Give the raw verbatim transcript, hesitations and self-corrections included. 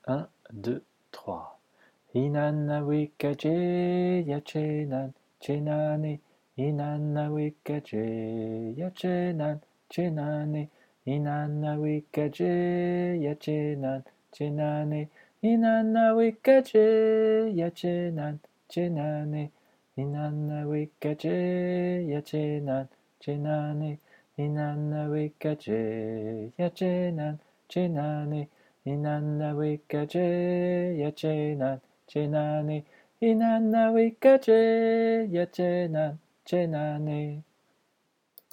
Un, deux, trois. Inanna wikaje yachenan chenane. Inanna wikaje yachenan chenane. Inanna wikaje yachenan chenane. Inanna wikaje yachenan chenane. Inanna wikaje yachenan chenane. Inanna wikaje yachenan chenane. Inanna wikaje yachenan chenane. Inanna wikaje yachenan chenane.